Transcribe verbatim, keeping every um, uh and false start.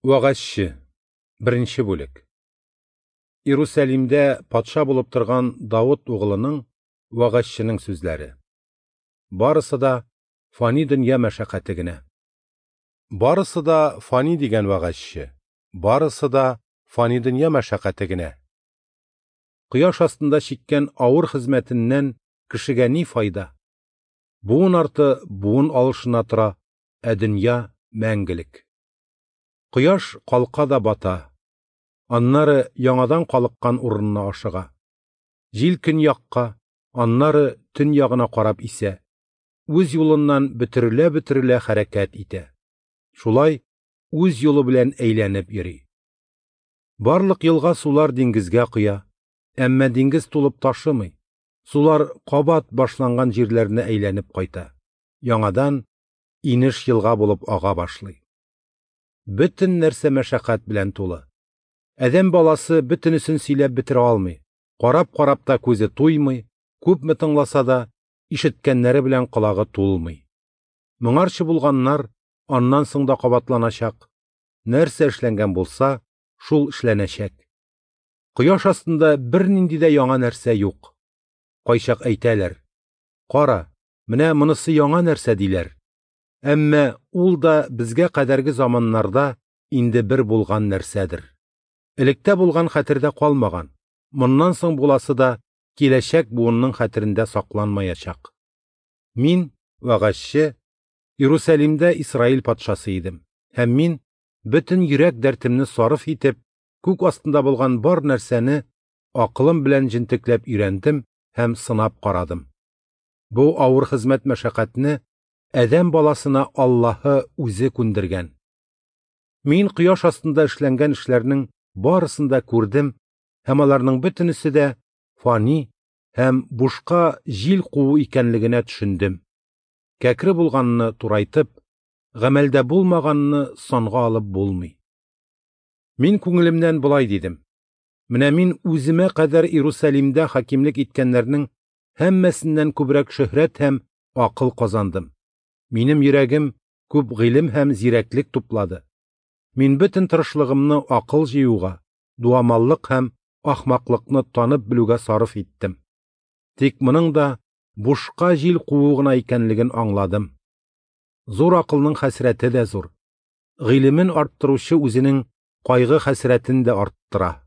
Вәгазьче, беренче бүлек. Иерусалимдә патша булып торган Давыт угылының вәгазьченең сүзләре. Барысы да фани дөнья мәшәкате генә. Барысы да фани дигән вәгазьче. Барысы да фани дөнья мәшәкате генә. Кояш астында чиккән авыр хезмәтеннән кешегә ни файда? Буын арты буын алышына тора, ә дөнья мәңгелек. Кояш калка да бата, аннары яңадан калыккан урынына ашыга. Җил көньякка, аннары төньягына карап исә, үз юлыннан бөтерелә-бөтерелә хәрәкәт итә. Шулай үз юлы белән әйләнеп йөри. Барлык елга сулар диңгезгә коя, әмма диңгез тулып ташымый. Сулар кабат башланган җирләренә әйләнеп кайта. Яңадан инеш елга булып ага башлый. Бөтен нәрсә мәшәкать белән тулы. Адәм баласы бөтенесен сөйләп бетерә алмый. Карап-карап та күзе туймый, күпме тыңласа да, ишеткәннәре белән колагы тулмый. Моңарчы булганнар аннан соң да кабатланачак. Нәрсә эшләнгән булса, шул эшләнәчәк. Кояш астында бернинди дә яңа нәрсә юк. Кайчак әйтәләр: "Кара, менә монысы яңа нәрсә" диләр. Әмма ул да безгә кадәрге заманнарда инде бер булган нәрсәдер. Электә булган хәтердә калмаган, моннан соң буласы да киләчәк буынның хәтерендә сакланмаячак. Мин, вәгазьче, Иерусалимдә Исраил патшасы идем, һәм мин бөтен йөрәк дәртемне сарыф итеп, күк астында булган бар нәрсәне акылым белән җентекләп өйрәндем һәм сынап карадым. Бу авыр хезмәт мәшәкатьне адәм баласына Аллаһы үзе күндергән. Мин кояш астында эшләнгән эшләрнең барысын да күрдем, һәм аларның бөтенесе дә фани һәм бушка җил куу икәнлегенә төшендем. Кәкре булганны турайтып, гамәлдә булмаганны санга алып булмый. Мин күңелемнән болай дидем: менә мин үземә кадәр Иерусалимдә хакимлек иткәннәрнең һәммәсеннән күбрәк шөһрәт һәм акыл казандым. Минем йөрәгем күп гыйлем һәм зирәклек туплады. Мин бөтен тырышлыгымны акыл җыюга, дуамаллык һәм ахмаклыкны танып белүгә сарыф иттем. Тик моның да бушка җил куу гына икәнлеген аңладым. Зур акылның хәсрәте дә зур. Гыйлемен арттыручы үзенең кайгы хәсрәтен дә арттыра.